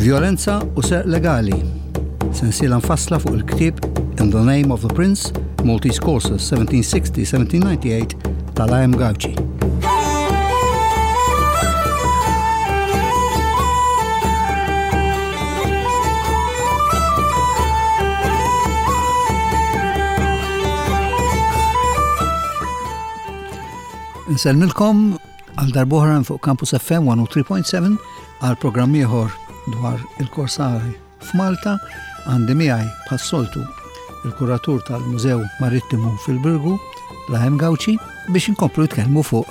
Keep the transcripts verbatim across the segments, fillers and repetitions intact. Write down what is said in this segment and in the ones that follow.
Violenza u Serq Legali. Sensiela mfassla fuq il-ktieb In the Name of the Prince, Maltese Courses seventeen sixty seventeen ninety-eight tal-A M. Gauci. Nsellmilkom għal darb'oħra fuq Campus F M one oh three point seven għal programm ieħor dwar il-Korsari f'Malta. Għandi miegħi bħas-soltu il-kuratur tal-Mużew Marittimu fil-Birgu, Lahem Gauci, biex inkomplu nitkellmu fuq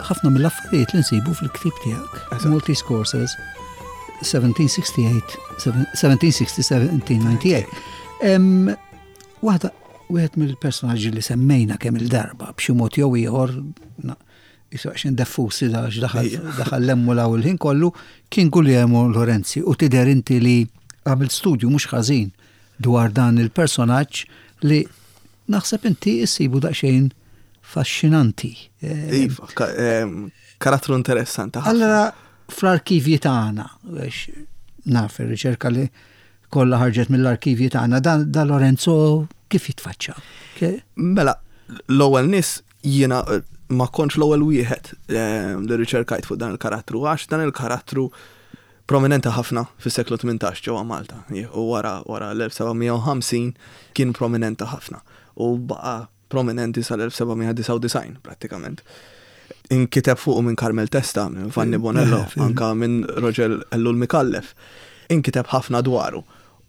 ħafna mill-affarijiet li nsibu fil-ktieb tiegħek. Maltese Courses seventeen sixty-eight seventeen sixty seventeen ninety-eight. Em, Waħda wieħed mill-personaġġi li semmejna kemm il-darba b'xi mod jew ieħor na- jisaqxin diffusi da daħal daħal lemmu law il-ħin kollu kien Guglielmo Lorenzi, u tidher inti li għamilt studju mhux ħażin dwar dan il-personaġġ li naħseb inti issibu daqsxejn faxxinanti. Eh, Iva, ka- em, karattru interessanti ħafna. Allora, fl-arkivji tagħna, għax naf ir-riċerka li kollha ħarġet mill-arkivji tagħna, da, da Lorenzo kif jitfaċċa? Ke- Mela, l-ewwel nies jiena eh, ma kontx l-ewwel wieħed em, li riċerkajt fuq dan il-karattru, għax dan il-karattru prominenti ħafna fis-seklu tmintax ġewwa Malta. U wara wara l-elf seba' mija u ħamsin kien prominenti ħafna u baqa' prominenti sal-elf seba' mija disgħa u disgħin prattikament. Inkiteb fuqu minn Carmel Testa, minn Vanni Bonello, Eh, fil- anka minn Roger Ellul Micallef. Inkiteb ħafna dwaru.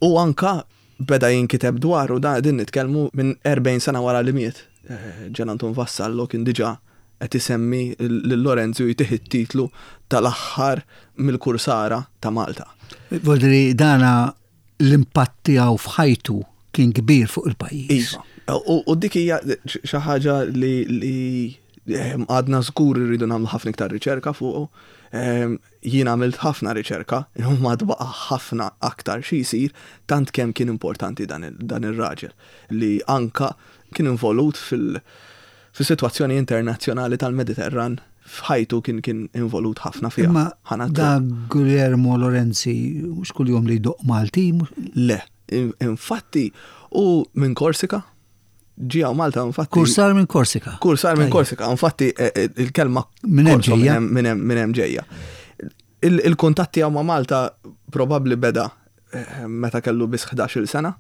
U anka beda jinkiteb dwaru, da din nitkellmu minn erbgħin sena wara li miet. Eh, Gian Anton Vassallo kien diġà qed isemmi lil Lorenzo, jtih it-titlu tal-aħħar mill-Kursara ta' Malta. Voldiri dana l-impatt tiegħu f'ħajtu kien kbir fuq il-pajjiż. Iva. U, u dik hija xi ħaġa li, li ehm, għadna żgur irridu nagħmlu ħafna iktar riċerka fuqu. Ehm, Jien għamilt ħafna riċerka, imma baqa' ħafna aktar xi jsir, tant kemm kien importanti dan il- dan ir-raġel li anka kien involut fil- fis-sitwazzjoni internazzjonali tal-Mediterran, f'ħajtu kien kien involut ħafna fiha. Imma Ħanatlu. da Guglielmo Lorenzi mhux kuljum li jdoqq Malti, mhux- Le, in- infatti u minn Korsika, ġie hawn Malta infatti. Kursar minn Korsika. Kursar minn Tajjeb. Korsika, infatti eh, eh, il-kelma Minn hemm Korso ġejja. minn hemm- minn hemm ġejja. Il- Il-kuntatti tiegħu ma' Malta probabbli beda eh, meta kellu biss ħdax-il sena,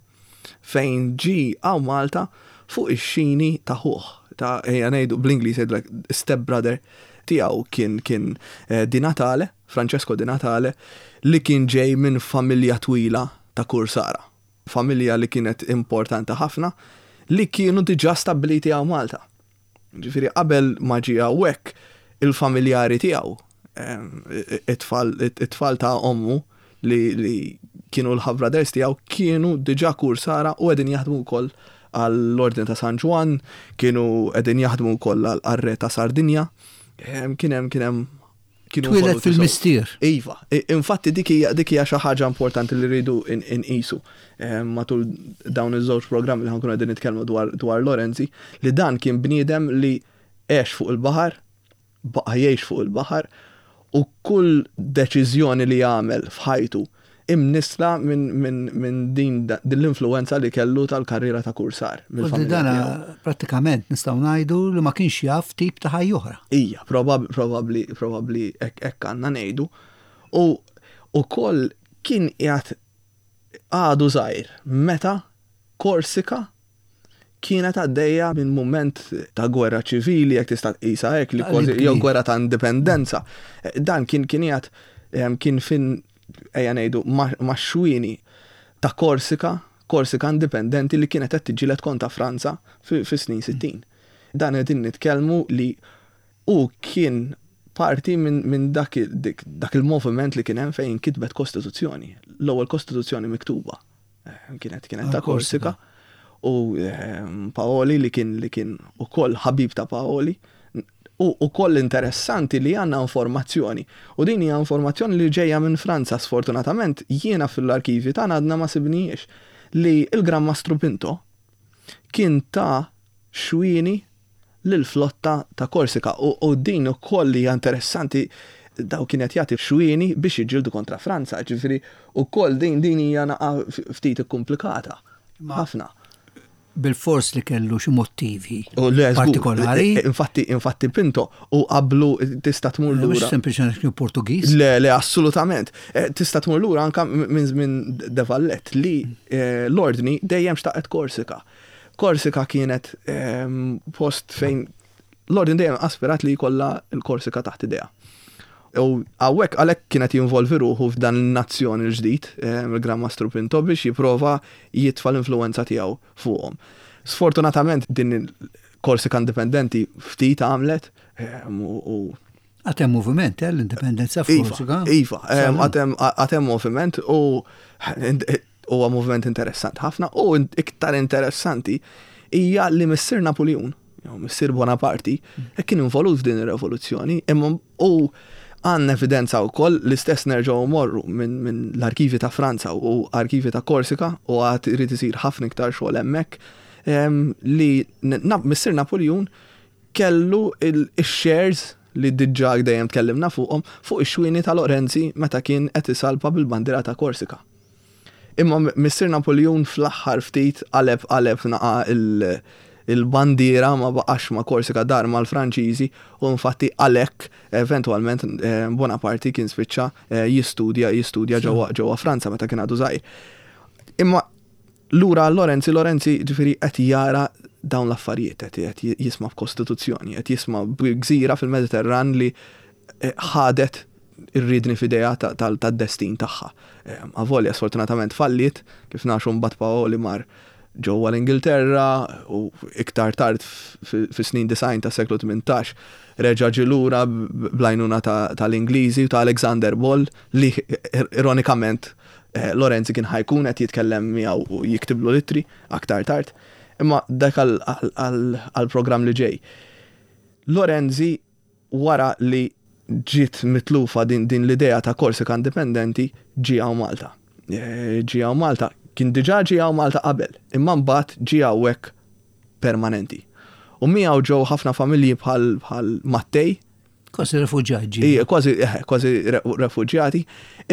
fejn ġie hawn Malta fuq ix-xini ta' ħuh, ta' ejja ngħidu bl-Ingliż jgħidu like step brother tiegħu, kien kien eh, Di Natale, Francesco Di Natale, li kien ġej minn familja twila ta' Kursara. Familja li kienet importanti ħafna, li kienu diġà stabiliti hawn Malta. Ġifieri qabel ma ġie hawnhekk, il-familjari tiegħu, em, it-tfal it-tfal ta' ommu li, li kienu l-half brothers tiegħu, kienu diġà Kursara u qegħdin jaħdmu wkoll għall-Ordni ta' San Ġwann, kienu qegħdin jaħdmu wkoll għall-Re ta' Sardinja. Em, Kien hemm kien hemm kienu Twieled involuti sew. fil-mistier. Iva, i- infatti dik hija dik hija xi ħaġa importanti li rridu inqisu matul dawn iż-żewġ programmi li ħa nkunu qegħdin nitkellmu dwar dwar Lorenzi, li dan kien bniedem li għex fuq il-baħar, baqa' jgħix fuq il-baħar, u kull deċiżjoni li jagħmel f'ħajtu imnisla minn min, min din din l-influenza li kellu tal-karriera ta' kursar Voldiri mill-familja dana tiegħu. prattikament nistgħu ngħidu li ma kienx jaf tip ta' ħajja oħra. Ija, probab, probabli, probabli hekk hekk għandna ngħidu. U ukoll kien qiegħed għadu żgħir meta Korsika kienet għaddejja minn moment ta' gwerra ċivili, jekk tista' tqisha hekk, li Ta' kważi li jew gwerra ta' indipendenza. Dan kien kien qiegħed em, kien fin, ejja ngħidu, ma' ma' xwini ta' Korsika, Korsika indipendenti li kienet qed tiġġieled kontra Franza fi fi snin sittin. Dan qegħdin nitkellmu li u kien parti minn min dak, il- dik, dak il-moviment li kien hemm fejn kitbet kostituzzjoni, l-ewwel kostituzzjoni miktuba. Eh, Kienet kienet ta' Ah, Korsika. Korsika u ehm, Paoli li kien li kien ukoll ħabib ta' Paoli, u ukoll interessanti li għandna informazzjoni, u din hija informazzjoni li ġejja minn Franza, sfortunatament jiena fil-arkivi tagħna għadna ma sibnijiex, li il-Gran Mastru Pinto kien ta xwini lill-flotta ta' Korsika, u, u din ukoll hija interessanti. Daw kienet jagħti xwieni biex jiġġieldu kontra Franza, ġifieri ukoll din din hija naqa ftit ikkumplikata. Ħafna. Bil-fors li kellu xi motivi U le, żgur. partikolari. Infatti, infatti Pinto u qablu tista' tmur Mhux lura. sempliċement kienu Portugiż. Le, le, assolutament. Eh, Tista' tmur lura anka minn minn De Valette li eh, l-ordni dejjem xtaqet Korsika. Korsika kienet ehm, post fejn l-ordni dejjem aspirat li jkollha l-Korsika taħt idejha. U hawnhekk għalhekk kienet jinvolvi ruħu f'dan il-nazzjon il-ġdid, eh, il-Gran Mastru Pinto, biex jipprova jitfa l-influenza tiegħu fuqhom. Sfortunatament din il-Korsika indipendenti ftit għamlet eh, u u Għad hemm moviment, eh, l-indipendenza Iva, f'Korsika. Iva, em, Sal-lum. għad hemm għad hemm moviment u huwa moviment interessant ħafna u iktar interessanti hija li Missier Napoleon, jew Missier Bonaparte, kien involut f'din ir-revoluzzjoni, imma u għandna evidenza wkoll l-istess nerġgħu morru minn min l-arkivi ta' Franza u arkivi ta' Korsika u għad irid isir ħafna iktar xogħol hemmhekk em, li na- Missier Napoleon kellu il-shares li diġà dejjem tkellimna fuqhom fuq ix-xwieni ta' Lorenzi meta kien qed isalpa bil-bandiera ta' Korsika. Imma Missier Napoleon fl-aħħar ftit qaleb qaleb naqa il- il-bandiera ma baqax ma' Korsika, dar mal-Franċiżi, u infatti għalhekk eventwalment eh, Bonaparte kien spiċċa eh, jistudja jistudja ġewwa ġewwa Franza meta kien għadu żgħir. Imma lura Lorenzi, Lorenzi ġifieri qed jara dawn l-affarijiet, qed qed jisma' b'kostituzzjoni, qed jisma' b'gżira fil-Mediterran li eh, ħadet ir-riedni f'idejha tad-destin tagħha. Eh, Avolja sfortunatament fallit, kif nafu mbagħad Paoli mar ġewwa l-Ingilterra u iktar tard fis-snin disgħin ta' seklu tmintax reġa' ġie lura bl-għajnuna tal-Ingliżi u ta' Alexander Ball li ironikament eh, Lorenzi kien ħa jkun qed jitkellem miegħu u jiktiblu littri aktar tard. Imma dak għal-programm li ġej. Lorenzi, wara li ġiet mitlufa din, din l-idea ta' Korsika indipendenti, ġie hawn Malta. Eh, ġie hawn Malta, kien diġà ġie hawn Malta qabel, imma mbagħad ġie hawnhekk permanenti. U miegħu ġew ħafna familji bħal bħal Mattei. Kważi refuġjati. Ija, kważi eh, kważi refuġjati,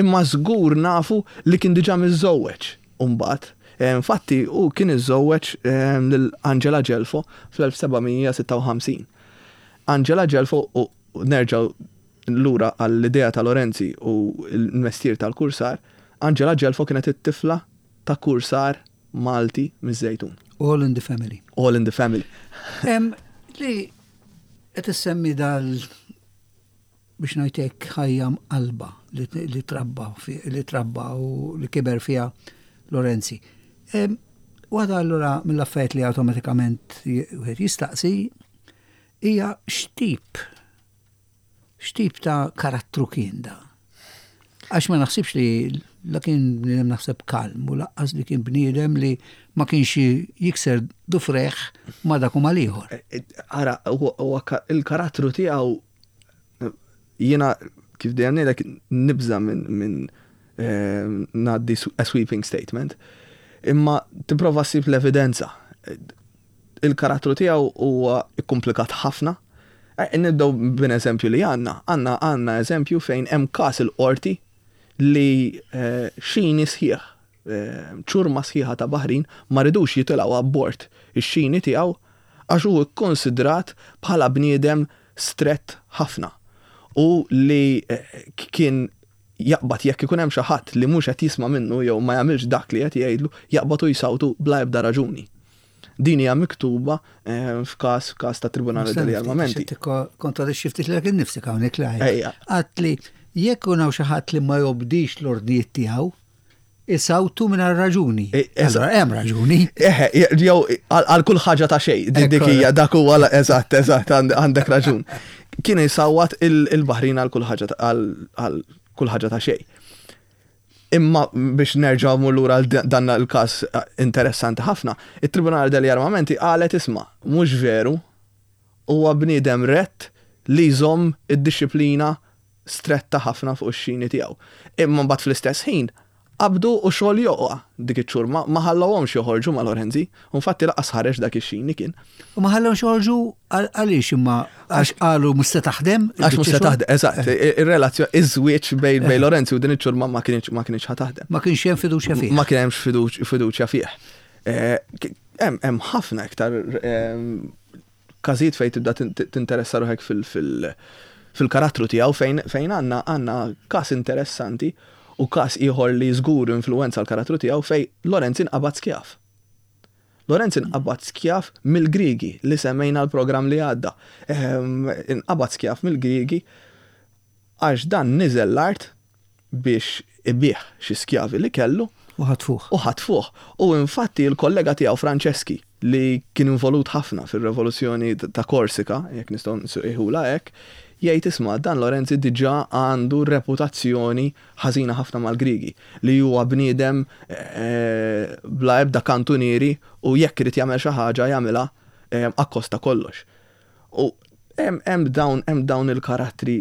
imma żgur nafu li kien diġà miżżewweġ mbagħad. Eh, infatti, u kien iżżewweġ lil Angela Gelfo fl-elf seba' mija sitta u ħamsin. Angela Gelfo, u nerġgħu lura għall-idea ta' Lorenzi u l-mestier tal-kursar, Angela Gelfo kienet it-tifla ta' kursar Malti miż-Żejtun. All in the family. All in the family. Em, li qed issemmi dal biex ngħidlek ħajja mqalba li, li trabba li trabba u li kiber fiha Lorenzi. Waħda allura mill-affarijiet li awtomatikament wieħed jistaqsi hija x'tip x'tip ta' karattru kien da. Għax ma naħsibx li la kien bniedem, naħseb, kalm u lanqas li kien bniedem li ma kienx jikser dufrejh ma' dak u mal-ieħor. Ara, il-karattru tiegħu, jiena kif dejjem ngħidlek nibża minn min ngħaddi a sweeping statement, imma tipprova ssib l-evidenza. Il-karattru tiegħu huwa komplikat ħafna. Nibdew bin eżempju li għandna, għandna għandna eżempju fejn hemm każ il-qorti li xini sħiħ, ċurma sħiħa ta' baħrin ma ridux jitilgħu abbord ix-xini tiegħu għax hu kkonsidrat bħala bniedem strett ħafna u li kien jaqbad, jekk ikun hemm xi ħadd li mhux qed jisma' minnu jew ma jagħmilx dak li qed jgħidlu, jaqbad u jsawtu bla ebda raġuni. Din hija miktuba f'każ f'każ ta' Tribunale degli Armamenti. Kontradixxi ftit lilek innifsek hawnhekk li għedt li jekk hawn xi ħadd li ma jobdix l-ordnijiet tiegħu, isawtu minn raġuni. Allora hemm raġuni. Eħe, jew għal kull ħaġa ta' xejn, dik hija, dak huwa eżatt, eżatt, għandek raġun. Kien jisawwat il-baħrin għal kull ħaġa għal kull ħaġa ta' xejn. Imma biex nerġgħu mmur lura dan il-każ interessanti ħafna, it-Tribunale degli Armamenti qalet, "Isma', mhux veru, huwa bniedem rett li jżomm id-disciplina stretta ħafna fuq ix-xini tiegħu." Imma mbagħad fl-istess ħin Qabdu u xogħol joqgħa dik iċ-ċurma, ma ħallawhomx joħorġu ma' Lorenzi, u infatti laqas ħareġ dak ix-xini kien. U ma ħallawhomx joħorġu għaliex imma għax qalu mhux se taħdem? Għax mhux se taħdem, eżatt, ir-relazzjoni, iż-żwieġ bejn bejn Lorenzi u din iċ-ċurma ma kienx ma kienx ħa taħdem. Ma kienx hemm fiduċja fih. Ma kien hemmx fiduċja fih. Hemm ħafna iktar każijiet fejn tibda tinteressa ruħek fil-karattru tiegħu fejn fejn għandna għandna każ interessanti u każ ieħor li żgur influenza l-karattru tiegħu fejn Lorenzi nqabad skjav. Lorenzi nqabad skjav mill-Grigi li semmejna l-programm li għadda. Inqabad skjav mill-Grigi għax dan niżel l-art biex ibih xi skjavi li kellu. U ħatfuh. U ħatfuh. U infatti l-kollega tiegħu Franceschi li kien involut ħafna fir-revoluzzjoni ta' Korsika, jekk nistgħu nsejħulha hekk, jgħid isma' dan Lorenzi diġà għandu reputazzjoni ħażina ħafna mal-Grigi, li huwa bniedem bla ebda kantunieri u jekk irid jagħmel xi ħaġa jagħmilha akkosta kollox. U hemm dawn hemm dawn il-karattri,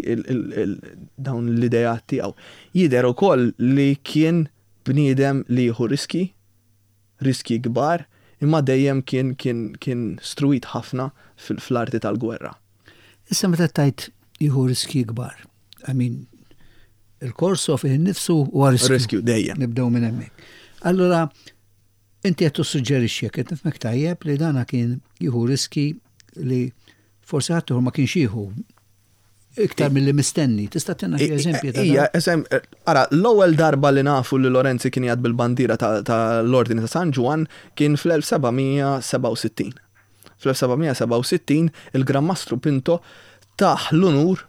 dawn l-ideat tiegħu. Jidher ukoll li kien bniedem li jieħu riski, riski kbar, imma dejjem kien kien kien struit ħafna fl-arti tal-gwerra. Issa meta tajt jieħu riski kbar, I mean, il-korso fih innifsu huwa riskju. Riskju dejjem. Nibdew minn hemmhekk. Allura, inti qed tissuġġerixxi jekk qed nifhmek tajjeb li dana kien jieħu riski li forsi ħadd ieħor ma kienx jieħu iktar milli mistenni. Tista' tina xi eżempji ta' Ija, eżem, ara, l-ewwel darba li nafu li Lorenzi kien jgħad bil-bandiera tal-Ordni ta' San Ġwann kien fl-elf sebgħamija sebgħa u sittin. Fl-elf sebgħamija sebgħa u sittin il-Gran Mastru Pinto taħ l-unur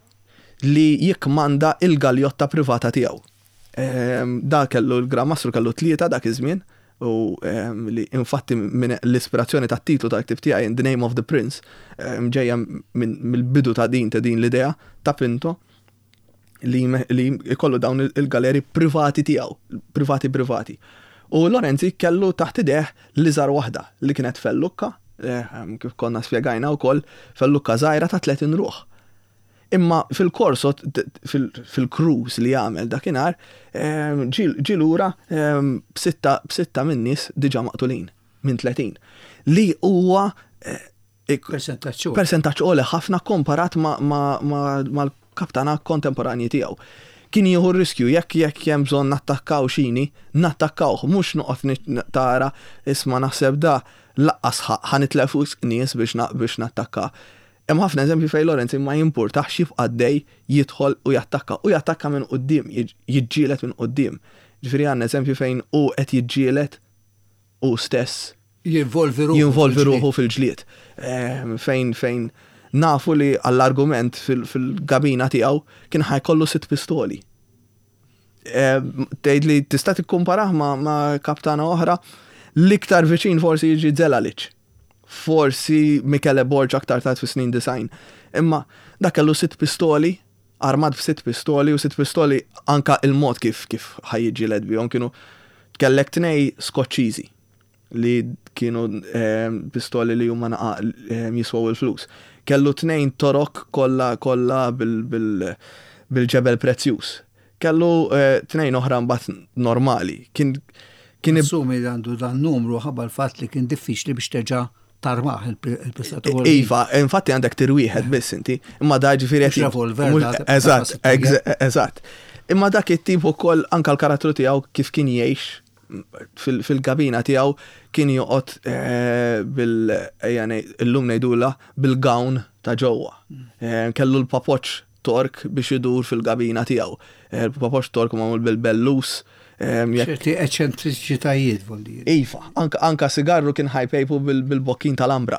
li jikmanda il-galjotta privata tiegħu. Da kellu l-Gran Mastru kellu tlieta dak iż-żmien, u li infatti minn l-ispirazzjoni tat-titlu tal-ktib tiegħi In the Name of the Prince ġejja mill-bidu ta' din ta' din l-idea ta' Pinto li li jkollu dawn il-galeri privati tiegħu, privati privati. U Lorenzi kellu taħt ideh l-iżgħar waħda li kienet fellukka, kif konna spjegajna wkoll, fellukka żgħira ta' tletin ruħ. Imma fil-korso, fil-cruise li għamel dakinhar, ġie lura b'sitta, b'sitta minn nies diġà maqtulin minn tletin. Li huwa Persentaġġ għoli. persentaġġ għoli ħafna komparat mal-kaptana kontemporanji tiegħu. Kien jieħu r-riskju jekk jekk hemm bżonn nattakkaw xini, nattakkawh, mhux noqgħod tara isma' naħseb da laqqas ħanitlef nies biex nattakka. Hemm ħafna eżempji fejn Lorenzi ma jimpurtax jibqa' għaddej jidħol u jattakka, u jattakka minn quddiem, jiġġieled minn quddiem. Ġifieri għandna eżempju fejn hu qed jiġġieled hu stess Jinvolvi ruħu jinvolvi fil-ġlied. ruħu fil-ġlied. Ehm, fejn, fejn nafu li għall-argument fil-gabina tiegħu kien ħajkollu sitt pistoli. Ehm, tgħid li tista' tikkumparah ma', ma' kaptana oħra, l-iktar viċin forsi jiġi Zelalic. Forsi Michele Borg aktar tard fis-snin design. Imma dak kellu sitt pistoli, armat b'sitt pistoli, u sitt pistoli anka il-mod kif, kif ħajjiġġieled bihom kienu kellek tnej Skoċċiżi li kienu, ehm, pistoli li huma naqa, ehm, jiswaw il-flus. Kellu tnejn torok kollha, kollha bil, bil, bil-ġebel prezzjuż. Kellu, eh, tnejn oħra mbagħad normali. Kien, kien ib- Assumi li għandu dan numru ħabba l-fatt li kien diffiċli biex terġa' tarmaħ il-pistatur. Iva, infatti għandek tir wieħed biss inti, imma da ġifieri Mhux qed revolver, mhux da ta' eżatt, ta' eż-, eżatt. Imma dak it-tip ukoll anka l-karattru tiegħu kif kien jgħix fil-, fil-gabina tiegħu kien joqgħod, eh, bil, ejja ngħid, illum ngħidulha bil-gown ta' ġewwa. Eh, kellu l-papoċ tork biex idur fil-gabina tiegħu. Eh, l-papoċ tork magħmul bil-bellus. Ehm, jekk ċerti eċentriċitajiet, vuol dire. Iva, anka, anka sigarru kien ħajpejpu bil-, bil-bokkin tal-ambra.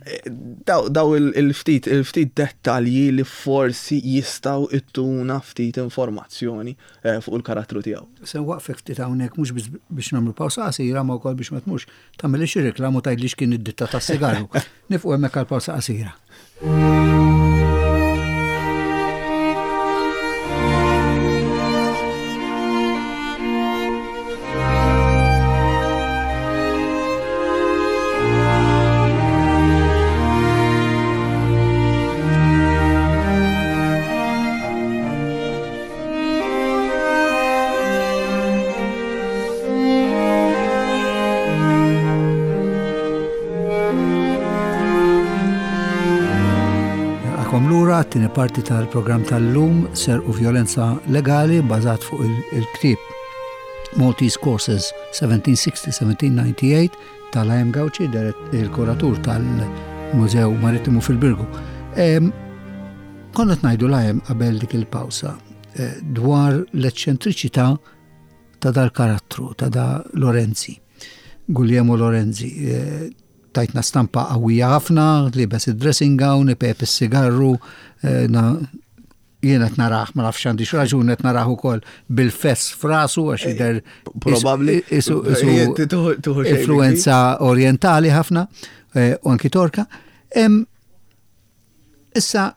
Eh, daw, daw il-, il-ftit, il-ftit dettalji li forsi jistaw ittuna ftit informazzjoni, eh, fuq il-karattru tiegħu. Se nwaqfek ftit hawnhekk mhux biss biex nagħmlu pawsa qasira, ma wkoll biex ma tmurx tagħmel xi reklamu tgħidli x'kien id-ditta tas-sigarru. Nifqu hemmhekk għal pawsa qasira. Lura t-tieni parti tal-programm tal-lum, Serq u Vjolenza Legali, bażat fuq il-ktieb Maltese Courses seventeen sixty seventeen ninety-eight tal-A M Gauci, il-kuratur tal-Mużew Marittimu fil-Birgu. Konna ngħidu l-A M qabel dik il-pawsa eh, dwar l-eċċentriċità ta' dal-karattru, ta' da Lorenzi, Guglielmo Lorenzi. Eh, tajtna stampa qawwija ħafna, libes id-dressing gown, ipejjep is-sigarru, eh, jiena qed narah, ma nafx għandix raġun, qed narah ukoll bil-fess f'rasu għax jidher Probabbli. Influenza orientali ħafna, eh, u anki Torka. Issa,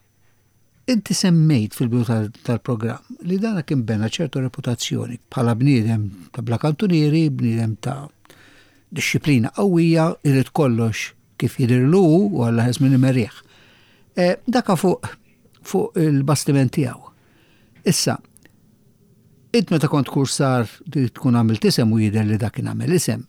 inti semmejt fil-bidu tal-programm li dana kien bena ċertu reputazzjoni bħala bniedem ta' bla kantunieri, bniedem ta' disċiplina qawwija, irid kollox kif jidirlu u Alla ħes minn imerriħ. E, daka fuq fuq il-bastiment tiegħu. Issa, int meta kont kursar tkun għamilt isem u jidher li dak kien għamel isem,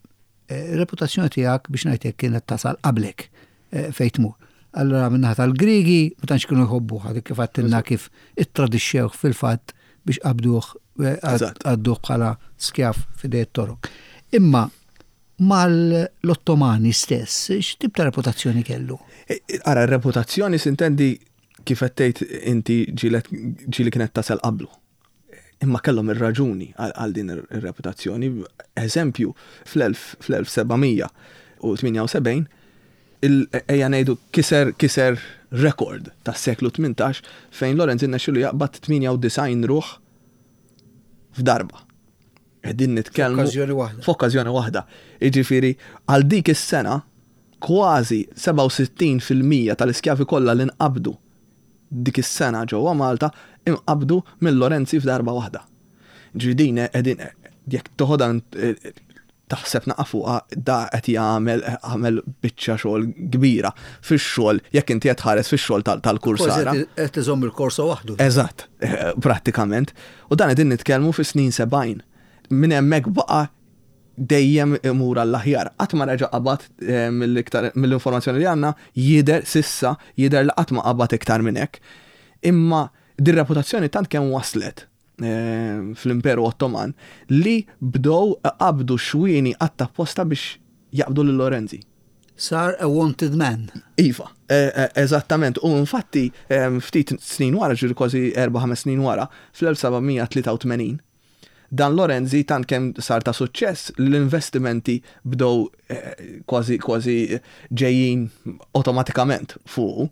e, reputazzjoni tiegħek, biex ngħidlek, kienet tasal qablek e, fejn tmur. Allora min-naħa tal-Grigi ma tantx kienu jħobbu dik, kif għedtilna kif ittradixxewh fil-fatt biex qabduh, għadduh bħala skjav f'idejn it-Torok. Imma mal-Ottomani stess, x'tip ta' reputazzjoni kellu? E, e, ara, reputazzjoni s'intendi kif qed inti ġieli kienet tasal qablu. Imma kellhom ir-raġuni għal din ir-reputazzjoni. Eżempju, fl-elf sebgħamija u tmienja u sebgħin ejja ngħidu kiser kiser rekord tas-seklu tmintax fejn Lorenz irnexxielu jaqbad tmienja u disgħin ruħ f'darba. Qegħdin nitkellmu. F'okkażjoni waħda. F'okkażjoni waħda. Jiġifieri għal dik is-sena kważi sebgħa u sittin fil-mija tal-iskjavi kollha li nqabdu dik is-sena ġewwa Malta inqabdu mill Lorenzi f'darba waħda. Ġifieri qegħdin, jekk toħodha taħseb naqa fuqha, da qed jagħmel għamel biċċa xogħol kbira fix-xogħol, jekk inti qed tħares fix-xogħol tal-kursara. Qed iżomm il-korso waħdu. Eżatt, eh, prattikament. U dan qegħdin nitkellmu fis-snin sebgħin. Minn hemmhekk baqa' dejjem imur għall-aħjar. Qatt ma reġa' qabad eh, mill-informazzjoni li għandna, jidher s'issa, jidher li qatt ma qabad iktar minn hekk. Imma dir-reputazzjoni tant kemm waslet eh, fl-Imperu Ottoman li bdew qabdu xwieni apposta biex jaqbdu lil Lorenzi. Sar a wanted man. Iva, eh, eżattament. U infatti ftit snin wara, ġiri kważi erba' ħames snin wara, fl-elf sebgħamija tlieta u tmenin, dan Lorenzi tant kemm sar ta' suċċess, l-investimenti bdew eh, kważi kważi ġejjin automatikament fuq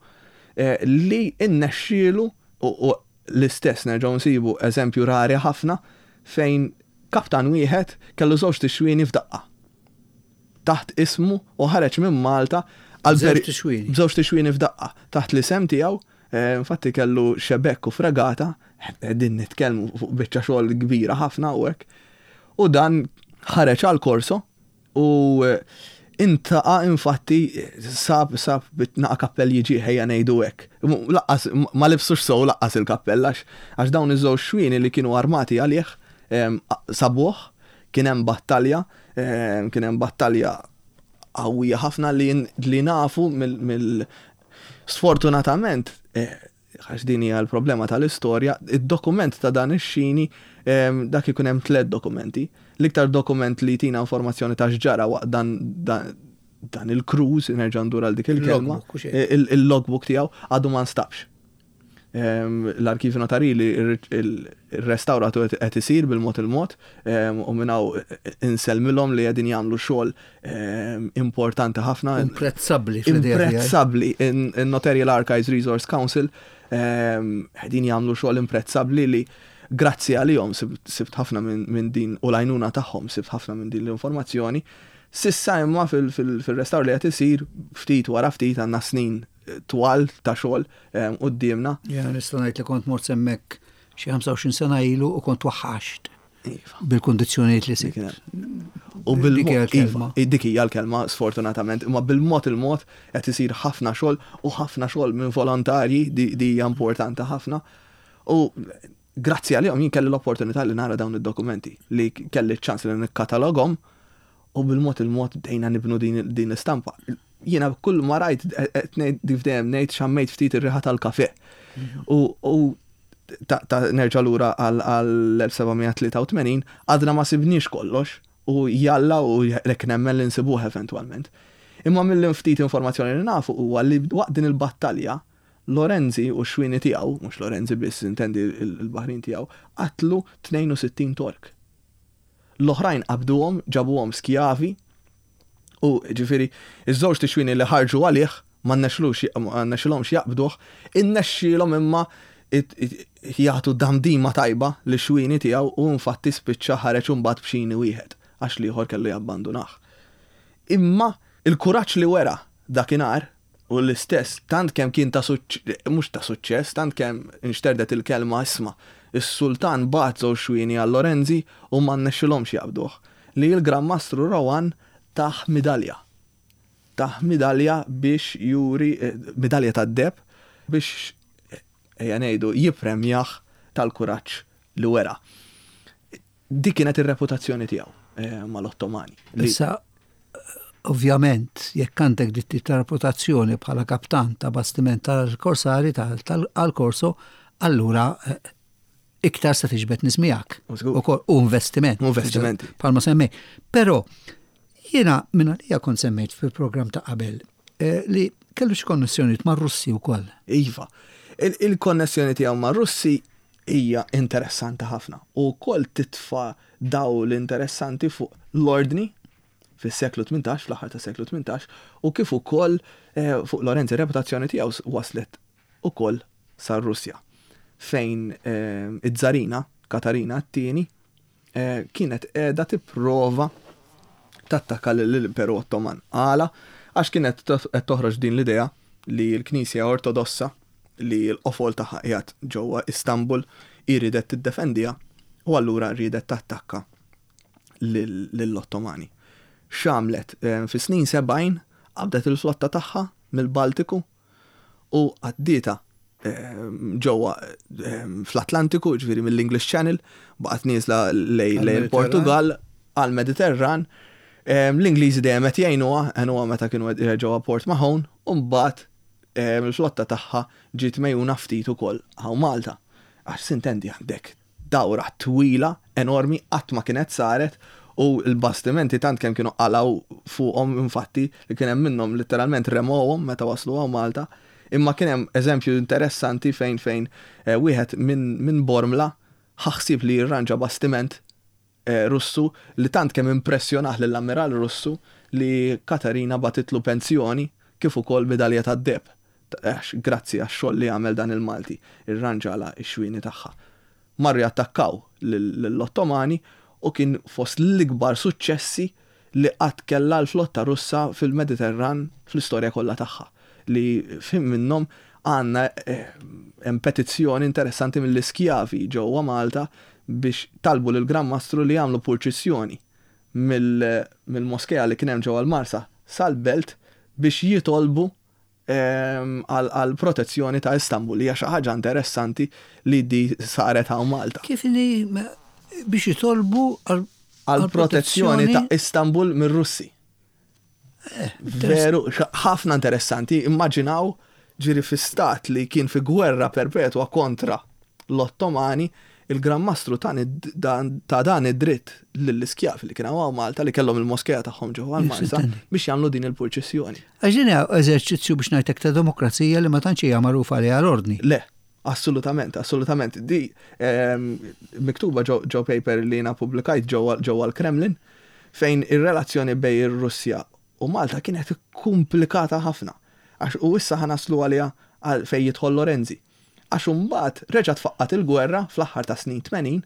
eh, li innexxielu u l-istess nerġgħu nsibu eżempju rari ħafna fejn kaptan wieħed kellu żewġ xwieni f'daqqa taħt ismu u ħareġ minn Malta għal żewġ xwieni f'daqqa taħt l-isem tiegħu. eh, infatti kellu xebekk u fregata, din nitkellmu fuq biċċa xogħol kbira ħafna u hekk. U dan ħareġ għal korso u eh, intaqa, infatti sab sab naqa kappell jiġi, ħejja ngħidu hekk. Lanqas ma libsux sew lanqas il-kappell għax dawn iż-żewġ xwieni li kienu armati għalih sabuh, kien hemm battalja, kien hemm battalja qawwija ħafna li nafu mill sfortunatament, eh, għax din hija l-problema tal-istorja, id-dokument ta' dan ix-xini, dak ikun hemm tliet dokumenti. L-iktar dokument li tina informazzjoni ta' x'ġara waqt dan dan il-cruise, nerġa' ndur għal dik il-kelma, il-logbook tiegħu għadu ma nstabx. L-arkivi notarili il-restawratu qed isir bil-mod il-mod u minn hawn insellmilhom li qegħdin jagħmlu xogħol importanti ħafna. Imprezzabbli. Imprezzabbli. In-Notarial Archives Resource Council qegħdin jagħmlu xogħol imprezzabbli li grazzi għalihom sibt ħafna minn din u l-għajnuna tagħhom sibt ħafna minn din l-informazzjoni. S'issa imma fil-restawr li qed isir ftit wara ftit għandna snin twal ta' xogħol quddiemna. Ja, nista' ngħid li kont mort hemmhekk xi ħamsa u għoxrin sena ilu u kont waħħaxt Iva. bil-kondizzjonijiet li sibt. U bil-mod, iva, dik hija l-kelma sfortunatament, imma bil-mod il-mod qed isir ħafna xogħol u ħafna xogħol minn volontarji, di hija importanti ħafna. U grazzi għalihom jien kelli l-opportunità li nara dawn id-dokumenti, li kelli ċans li nikkatalogom u bil-mod il-mod bdejna nibnu din l-istampa. Jiena kull ma rajt qed ngħid dejjem ngħid xammejt ftit ir-riħa tal-kafe. U ta' nerġa' lura għal elf seba' mija tlieta u tmenin, għadna ma sibniex kollox u jalla u lek nemmen li nsibuh eventwalment. Imma mill-ftit informazzjoni li nafu huwa li waqt din il-battalja Lorenzi u x-xwieni tiegħu, mhux Lorenzi biss, intendi il-baħrin tiegħu, qatlu tnejn u sittin Tork. L-oħrajn qabduhom, ġabuhom skjavi u ġifieri iż-żewġ xwieni li ħarġu għalih ma nnexxilhomx jaqbduh, innexxielhom imma jagħtu damdima tajba lix-xwieni tiegħu u infatti spiċċa ħareġ imbagħad b'xini wieħed għax l-ieħor kellu jabbandunah. Imma il-kuraġġ li wera dakinhar u l-istess tant kemm kien ta' mhux ta' suċċess, tant kemm inxterdet il-kelma, isma', is-sultan bagħat żewġ xwieni għal Lorenzi u ma nnexxilhomx jaqbduh. Li l-Gran Mastru Rohan tah midalja. Tah midalja biex juri, eh, midalja tad-deheb biex, ejja ngħidu, jippremjah tal-kuraġġ li wera. Dik kienet ir-reputazzjoni tiegħu eh, mal-Ottomani. Issa, ovvjament, jekk għandek dit ta' reputazzjoni bħala kaptan ta' bastiment tal-korsari tal-Korso, allura eh, iktar se tiġbed nies miegħek. U investiment. Investimenti. Bħalma semmej. Però, jiena minn għalija kont semmejt fil-program ta' qabel eh, li kellu xi konnessjonijiet ma' Russi wkoll. Iva. Il-konnessjoni tiegħu ma' Russi hija interessanti ħafna u wkoll titfa' dawl interessanti fuq l-ordni fis-seklu tmintax, fl-aħħar ta' seklu tmintax, u kif ukoll eh, fuq Lorenzi reputazzjoni tiegħu waslet ukoll sar-Russja, fejn eh, iż-żarina Katarina t-tieni eh, kienet qiegħda tipprova tattakka l-Imperu Ottoman. Għala? Għax kienet qed toħroġ din l-idea li l-Knisja Ortodossa, li l-qofol tagħha qiegħed ġewwa Istanbul, iridet tiddefendiha u allura riedet tattakka lill-Ottomani. X'għamlet? Eh, fi snin sebgħin qabdet il-flotta tagħha mill-Baltiku u għaddietha eh, ġewwa eh, fl-Atlantiku, ġifieri mill-English Channel, baqgħet nieżla lejn il-Portugal għal-Mediterran. L-Ingliżi dejjem qed jgħinuha, għenuha meta kienu ġewwa Port Mahon, u mbagħad il-flotta tagħha ġiet megħjuna ftit ukoll hawn Malta. Għax sintendi għandek dawra twila, enormi, qatt ma kienet saret u l-bastimenti tant kemm kienu qalaw fuqhom, infatti, li kien hemm minnhom letteralment remowhom meta waslu hawn Malta. Imma kien hemm eżempju interessanti fejn fejn eh, wieħed minn min Bormla ħaħsib li jirranġa bastiment eh, Russu li tant kemm impressjonah lill-ammiral Russu li Katarina bagħtitlu pensjoni kif ukoll midalja tad-deheb. Grazzi għax-xogħol li għamel dan il-Malti, irranġala x-xwieni tagħha. Marru jattakkaw lill-Ottomani u kien fost l-ikbar suċċessi li qatt kellha l-flotta Russa fil-Mediterran fl-istorja kollha tagħha. Li fim minnhom għandna eh, hemm petizzjoni interessanti mill-iskjavi ġewwa Malta biex talbu lil Gran Mastru li jagħmlu purċissjoni mill-moskea li kien hemm ġewwa l-Marsa sal-belt biex jitolbu ehm, għal protezzjoni ta' Istanbul. Hija xi ħaġa interessanti li di saret hawn Malta. Kif li biex jitolbu għal protezzjoni ta' Istanbul mir-Russi? Eh, veru, ħafna interessanti. Immaġinaw ġiri fi stat li kien fi gwerra perpetwa kontra l-Ottomani, il-Gran Mastru ta' dan id-dritt lill-iskjavi li kienu hawn Malta, li kellhom il-moskea tagħhom ġewwa l-Marsa, biex jagħmlu din il-purċissjoni. Għax din eżerċizzju, biex ngħidlek, ta' demokrazija li ma tantx hija magħrufa li għal-ordni. Le, assolutament, assolutament. Di ehm, miktuba ġo paper li jiena publikajt ġewwa l-Kremlin, fejn ir-relazzjoni bejn ir-Russja u Malta kienet komplikata ħafna. Għax u issa ħa naslu għalija fejn jidħol Lorenzi. Għax imbagħad reġgħet faqqgħet il-gwerra fl-aħħar ta' snin tmenin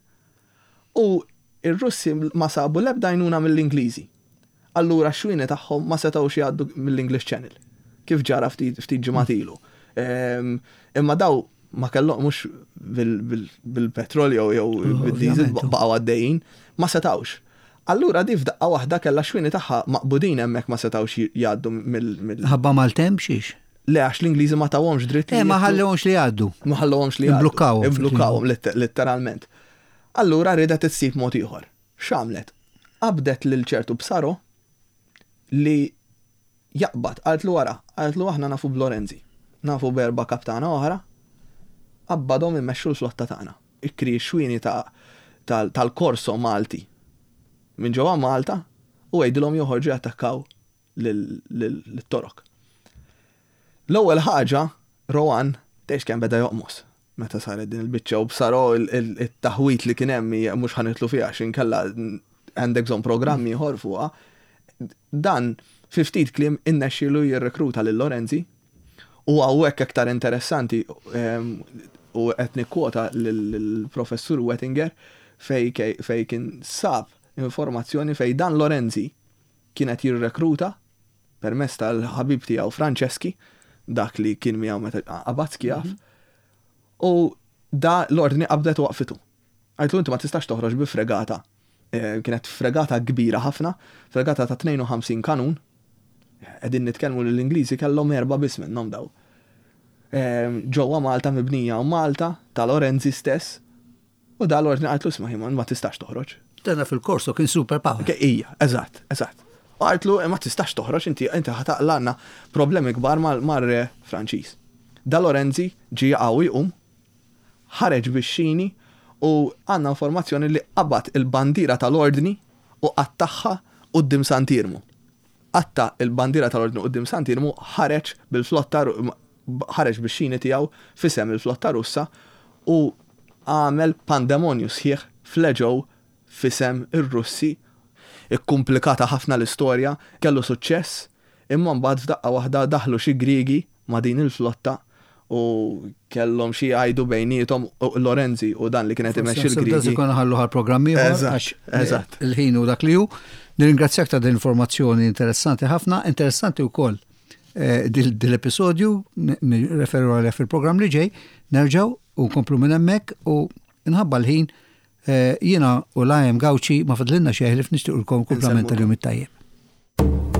u ir-Russi ma sabu l-ebda għajnuna mill-Ingliżi. Allura x-xwieni tagħhom ma setgħux jgħaddu mill-English Channel. Kif ġara ftit ġimgħat ilu. Ehm, imma daw ma kellhom mhux bil-petrol jew jew bil-diesel baqgħu għaddejjin, ma setgħux. Allura di f'daqqa waħda kellha xwieni tagħha maqbudin hemmhekk, ma setgħux jgħaddu mill Ħabba maltemp xiex? Le, għax l-Ingliżi ma tawhomx dritt. Eh, ma ħallewhomx li jgħaddu. Ma ħallewhomx li jgħaddu. Imblukkawhom. Imblukkawhom letteralment. Allura ridet issib mod ieħor. X'għamlet? Qabdet lil ċertu Psaro li jaqbad, qaltlu wara, qaltlu aħna nafu b'Lorenzi. Nafu b'erba' kaptana oħra. Qabbadhom immexxu l-flotta tagħna. Ikri xwini tal-Korso Malti minn ġewwa Malta u għidilhom joħorġu jattakkaw lit-Torok. L-ewwel ħaġa, Rohan tgħix kemm beda joqmos meta saret din il-biċċa u bsaro il-taħwit li kien hemm, mhux ħa nidħlu fiha għax inkella għandek bżonn programmi ieħor fuqha. Dan fi ftit kliem innexxielu jirrekruta lil Lorenzi u hawnhekk aktar interessanti, u qed nikkwota lill-professur Wettinger fej fej kien sab informazzjoni fej dan Lorenzi kienet jirrekruta permezz tal-ħabib tiegħu Franceschi, dak li kien miegħu meta qabad skjav, u da l-ordni qabdet u waqfitu. Għajtlu, "Inti ma tistax toħroġ bi fregata." Eh, kienet fregata kbira ħafna, fregata ta' tnejn u ħamsin kanun. Qegħdin nitkellmu li l-Ingliżi kellhom erba' biss minnhom daw. Eh, ġewwa Malta, mibnija u Malta ta' Lorenzi stess. U da l-ordni għajtlu, "Isma', ma tistax toħroġ." Dana fil-Korso kien super power. Ija, eżatt, eżatt. U għajtlu, "Ma tistax toħroġ, inti inti ħa taqlagħlna problemi kbar mar-re Franċiż." Da Lorenzi ġi qawwi jqum, ħareġ bix-xini u għandna informazzjoni li qabad il-bandira tal-ordni u qattagħha quddiem Sant'Iermu. Qatta' il-bandira tal-ordni quddiem Sant'Iermu, ħareġ bil-flotta, ħareġ bix-xini tiegħu f'isem il-flotta Russa u għamel pandemonju sħiħ fl-Eġew f'isem ir-Russi. Ikkumplikata ħafna l-istorja, kellu suċċess, imma mbagħad f'daqqa waħda daħlu xi Griegi ma' din il-flotta u kellhom xi jgħidu bejniethom Lorenzi u dan li kienet imexxi l-Griegi. Ikun ħallu għal programmi għax eżatt. il-ħin u dak li hu. Nirringrazzjak ta' din informazzjoni interessanti ħafna, interessanti wkoll eh, dil-episodju nirreferu għalih fil-programm li ġej, nerġgħu u nkomplu minn hemmhekk u nħabba l-ħin eh, jiena u Lajem Gawċi ma fadlilna xejn ħlief nixtiequlkom kumplament tal-jum it-tajjeb.